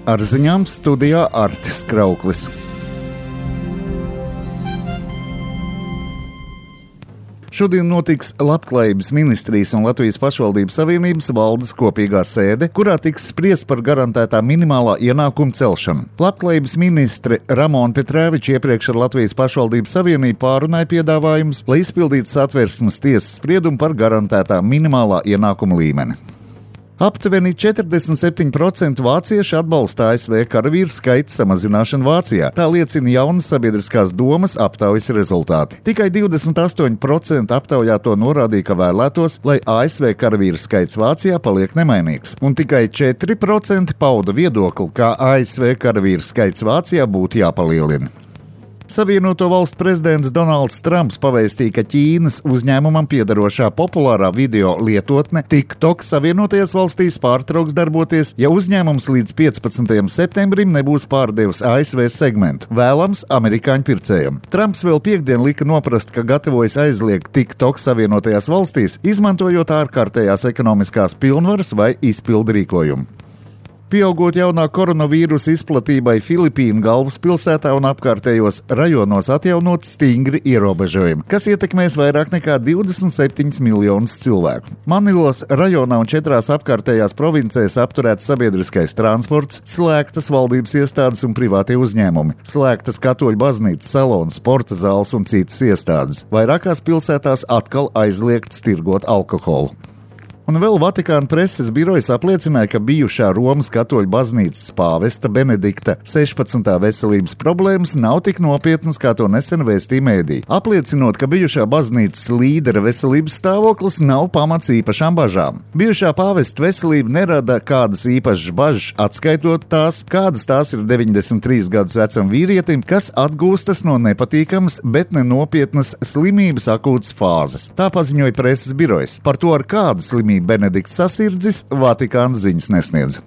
Ar ziņām studijā Artis Krauklis. Šodien notiks Labklājības ministrijas un Latvijas pašvaldības savienības valdes kopīgā sēde, kurā tiks spriests par garantētā minimālā ienākuma celšanu. Labklājības ministre Ramona Petrēviča iepriekš ar Latvijas pašvaldības savienību pārunāja piedāvājumus, lai izpildītu Satversmes tiesas spriedumu par garantētā minimālā ienākuma līmeni. Aptuveni 47% vācieši atbalsta ASV karavīru skaita samazināšanu Vācijā. Tā liecina jaunas sabiedriskās domas aptaujas rezultāti. Tikai 28% aptaujāto norādīja, ka vēlētos, lai ASV karavīru skaits Vācijā paliek nemainīgs. Un tikai 4% pauda viedokli, ka ASV karavīru skaits Vācijā būtu jāpalielina. Savienoto valstu prezidents Donalds Trumps pavēstīja, ka Ķīnas uzņēmumam piederošā populārā video lietotne TikTok Savienotajās valstīs pārtrauks darboties, ja uzņēmums līdz 15. septembrim nebūs pārdevis ASV segmentu, vēlams amerikāņu pircējiem. Trumps vēl piektdien lika noprast, ka gatavojas aizliegt TikTok Savienotajās valstīs, izmantojot ārkārtējās ekonomiskās pilnvaras vai izpildu rīkojumu. Pieaugot jaunā koronavīrusa izplatībai Filipīnu galvaspilsētā un apkārtējos rajonos atjaunot stingri ierobežojumi, kas ietekmēs vairāk nekā 27 miljonus cilvēku. Manilas rajonā un 4 apkārtējās provincēs apturēts sabiedriskais transports, slēgtas valdības iestādes un privātie uzņēmumi, slēgtas katoļu baznīcas, salons, sporta zāles un citas iestādes. Vairākās pilsētās atkal aizliegts tirgot alkoholu. Un vēl Vatikāna preses birojas apliecināja, ka bijušā Romas katoļu baznīcas pāvesta Benedikta 16. veselības problēmas nav tik nopietnas, kā to nesen vēstīja mēdī. Apliecinot, ka bijušā baznīcas līdera veselības stāvoklis nav pamats īpašām bažām. Bijušā pāvesta veselība nerada kādas īpašas bažas, atskaitot tās, kādas tās ir 93 gadus vecam vīrietim, kas atgūstas no nepatīkamas, bet nenopietnas slimības akūtas fāzes. Tā paziņoja preses birojas. Par to, ar kādu slimību Benedikts sasirdzis, Vatikāns ziņas nesniedz.